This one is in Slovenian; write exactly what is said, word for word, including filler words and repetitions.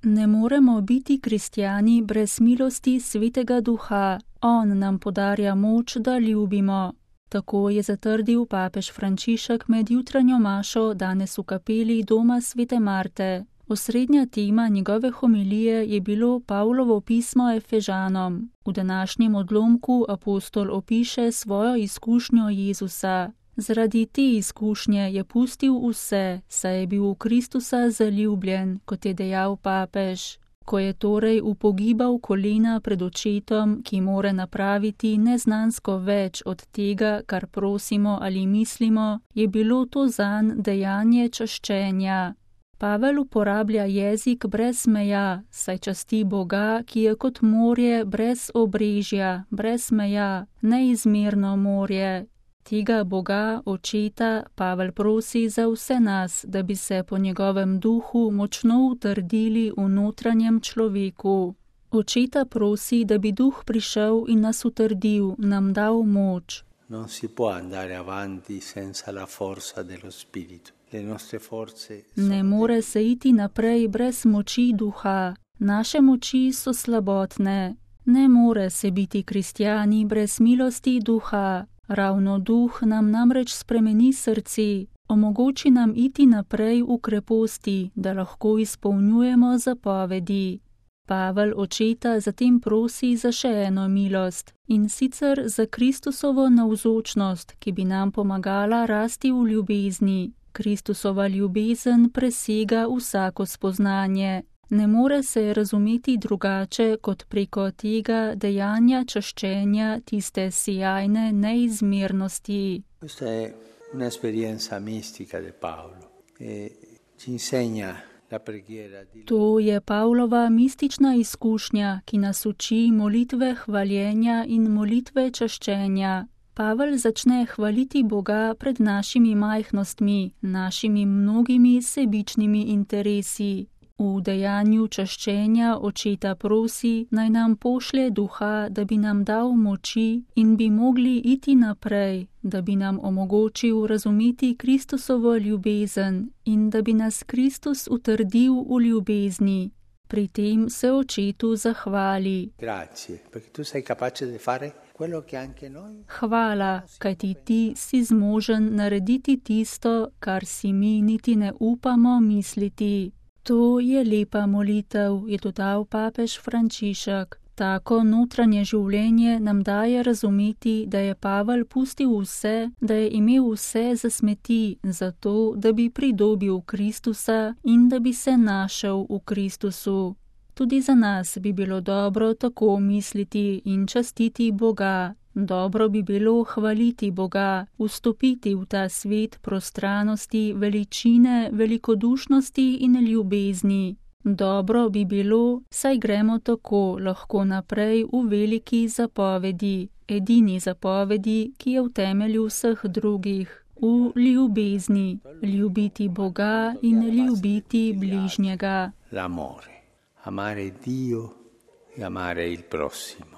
Ne moremo biti kristjani brez milosti Svetega Duha. On nam podarja moč, da ljubimo. Tako je zatrdil papež Frančišek med jutranjo mašo danes v kapeli doma Svete Marte. Osrednja tema njegove homilije je bilo Pavlovo pismo Efežanom. V današnjem odlomku apostol opiše svojo izkušnjo Jezusa. Zaradi te izkušnje je pustil vse, saj je bil v Kristusa zaljubljen, kot je dejal papež. Ko je torej upogibal kolena pred očetom, ki more napraviti neznansko več od tega, kar prosimo ali mislimo, je bilo to zanj dejanje čaščenja. Pavel uporablja jezik brez meja, saj časti Boga, ki je kot morje brez obrežja, brez meja, neizmerno morje. Tega Boga, Očeta, Pavel prosi za vse nas, da bi se po njegovem duhu močno utrdili v notranjem človeku. Očeta prosi, da bi duh prišel in nas utrdil, nam dal moč. Non si può andare avanti senza la forza dello spirito. Le nostre forze Ne more se iti naprej brez moči duha. Naše moči so slabotne. Ne more se biti kristjani brez milosti duha. Ravno duh nam namreč spremeni srce, omogoči nam iti naprej v kreposti, da lahko izpolnjujemo zapovedi. Pavel Očeta zatem prosi za še eno milost, in sicer za Kristusovo navzočnost, ki bi nam pomagala rasti v ljubezni. Kristusova ljubezen presega vsako spoznanje. Ne more se razumeti drugače kot preko tega dejanja čaščenja tiste sijajne neizmernosti. Questa è un'esperienza mistica di Paolo e ci insegna la preghiera di To je Pavlova mistična izkušnja, ki nas uči molitve hvaljenja in molitve čaščenja. Pavel začne hvaliti Boga pred našimi majhnostmi, našimi mnogimi sebičnimi interesi. V dejanju čaščenja Očeta prosi, naj nam pošlje duha, da bi nam dal moči in bi mogli iti naprej, da bi nam omogočil razumeti Kristusovo ljubezen in da bi nas Kristus utrdil v ljubezni. Pri tem se Očetu zahvali. Grazie, perché tu sei capace di fare quello che anche noi. Hvala, kajti ti si zmožen narediti tisto, kar si mi niti ne upamo misliti. To je lepa molitev, je dodal papež Frančišek. Tako notranje življenje nam daje razumeti, da je Pavel pustil vse, da je imel vse za smeti, zato, da bi pridobil Kristusa in da bi se našel v Kristusu. Tudi za nas bi bilo dobro tako misliti in častiti Boga. Dobro bi bilo hvaliti Boga, vstopiti v ta svet prostranosti, veličine, velikodušnosti in ljubezni. Dobro bi bilo, saj gremo tako lahko naprej v veliki zapovedi, edini zapovedi, ki je v temelju vseh drugih, v ljubezni, ljubiti Boga in ljubiti bližnjega. L'amore, amare Dio e amare il prossimo.